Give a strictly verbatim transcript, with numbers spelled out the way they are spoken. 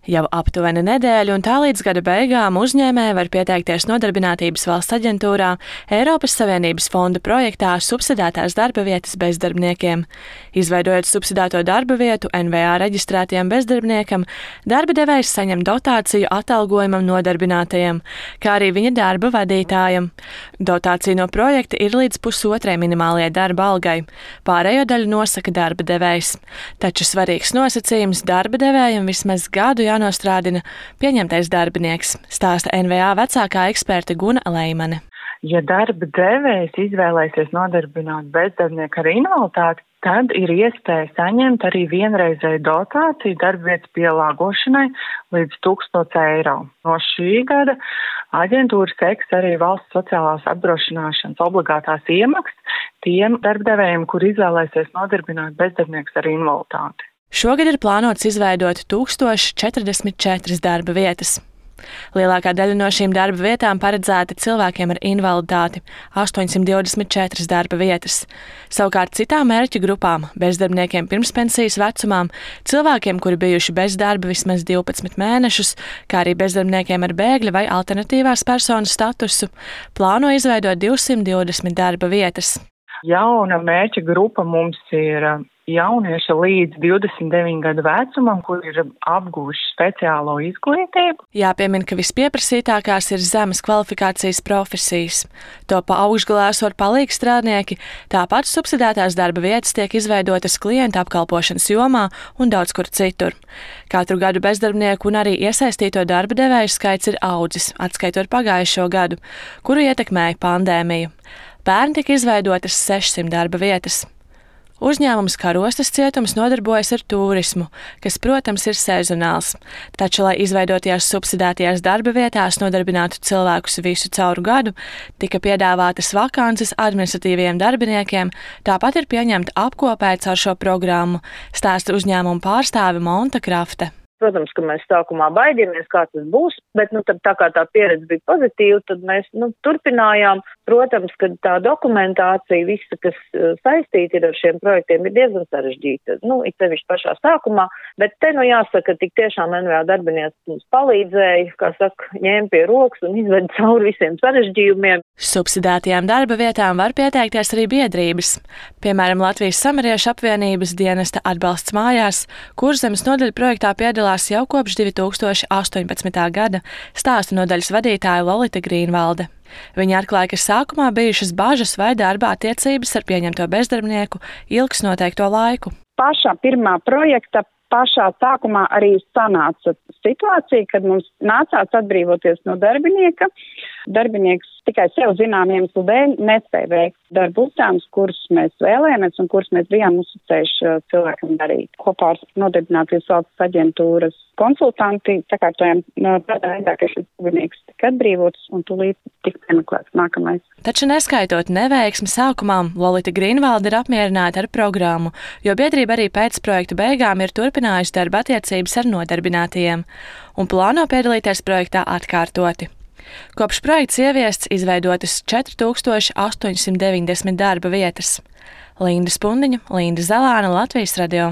Jau aptuveni nedēļu un tā līdz gada beigām uzņēmēji var pieteikties Nodarbinātības valsts aģentūrā Eiropas Savienības fonda projektā subsidētās darba vietas bezdarbniekiem. Izveidojot subsidēto darba vietu N V A reģistrētajam bezdarbniekam, darba devējs saņem dotāciju atalgojumam nodarbinātajam, kā arī viņa darba vadītājam. Dotācija no projekta ir līdz pusotrai minimālajai darba algai. Pārējo daļu nosaka darba devējs. Taču svarīgs nosacījums darba devējam vismaz gadu jānostrādina pieņemtais darbinieks, stāsta N V A vecākā eksperte Guna Leimane. Ja darba devējs izvēlēsies nodarbināt bezdarbnieku ar invaliditāti, tad ir iespēja saņemt arī vienreizēju dotāciju darba vietas pielāgošanai līdz tūkstots eiro. No šī gada aģentūra seks arī valsts sociālās apdrošināšanas obligātās iemaksas tiem darba devējiem, kur izvēlēsies nodarbināt bezdarbnieks ar invaliditāti. Šogad ir plānots izveidot tūkstoš četrdesmit četras darba vietas. Lielākā daļa no šīm darba vietām paredzēta cilvēkiem ar invaliditāti – astoņsimt divdesmit četras darba vietas. Savukārt citām mērķa grupām – bezdarbniekiem pirmspensijas vecumām, cilvēkiem, kuri bijuši bez darba vismaz divpadsmit mēnešus, kā arī bezdarbniekiem ar bēgļa vai alternatīvās personas statusu – plāno izveidot divsimt divdesmit darba vietas. Jauna mērķa grupa mums ir jaunieši līdz divdesmit deviņu gadu vecumam, kur ir apguvuši speciālo izglītību. Jāpiemina, ka vispieprasītākās ir zemes kvalifikācijas profesijas. To pa augšgalā esot palīgs strādnieki, tāpat subsidētās darba vietas tiek izveidotas klienta apkalpošanas jomā un daudz kur citur. Katru gadu bezdarbnieku un arī iesaistīto darba devēju skaits ir audzis, atskaitot pagājušo gadu, kuru ietekmēja pandēmija. Pērn tika izveidotas sešsimt darba vietas. Uzņēmums Karostas cietums nodarbojas ar turismu, kas, protams, ir sezonāls. Taču, lai izveidotajās subsidētajās darba vietās nodarbinātu cilvēkus visu cauru gadu, tika piedāvātas vakances administratīviem darbiniekiem, tāpat ir pieņemta apkopēts ar šo programmu, stāsta uzņēmuma pārstāve Monta Krafte. Protams, ka mēs sākumā baidījāmies, kā tas būs, bet nu, tad, tā kā tā pieredze bija pozitīva, tad mēs nu, turpinājām. Protams, ka tā dokumentācija, visa, kas saistīta ir ar šiem projektiem, ir diezgan sarežģīta. Nu, it sevišķi pašā sākumā, bet te nu jāsaka, tik tiešām N V A darbinieks mums palīdzēja, kā saka, ņēma pie rokas un izveda cauri visiem sarežģījumiem. Subsidētajām darba vietām var pieteikties arī biedrības. Piemēram, Latvijas Samariešu apvienības dienesta atbalsts mājās, Kurzemes nodaļa projektā piedalās jau kopš divi tūkstoši astoņpadsmitā gada, stāsta nodaļas vadītāja Lolita Grīnvalde. Viņa atklāja, ka sākumā bijušas bažas vai darba attiecības ar pieņemto bezdarbnieku ilgs noteikto laiku. Pašā pirmā projekta pašā sākumā arī sanāca situācija, kad mums nācās atbrīvoties no darbinieka. Darbinieks tikai sev zinām iemeslu dēļ nespēja veikt darbu uzdevumus, kurus mēs vēlējāmies un kurus mēs bijām uzticējuši cilvēkam darīt. Kopā ar Nodarbinātības valsts aģentūras konsultanti sakārtojām tādā veidā, ka šis darbinieks tika atbrīvots un tūlīt tika piemeklēts nākamais. Taču neskaitot neveiksmi sākumā, Lolita Grīnvalde ir apmierināta ar programmu, jo biedrība arī pēc projektu beigām ir turpinājusi darba attiecības ar nodarbinātajiem un plāno piedalīties projektā atkārtoti. Kopš projekts ieviests izveidotas četri tūkstoši astoņsimt deviņdesmit darba vietas. Linda Spundiņa, Linda Zelāna, Latvijas radio.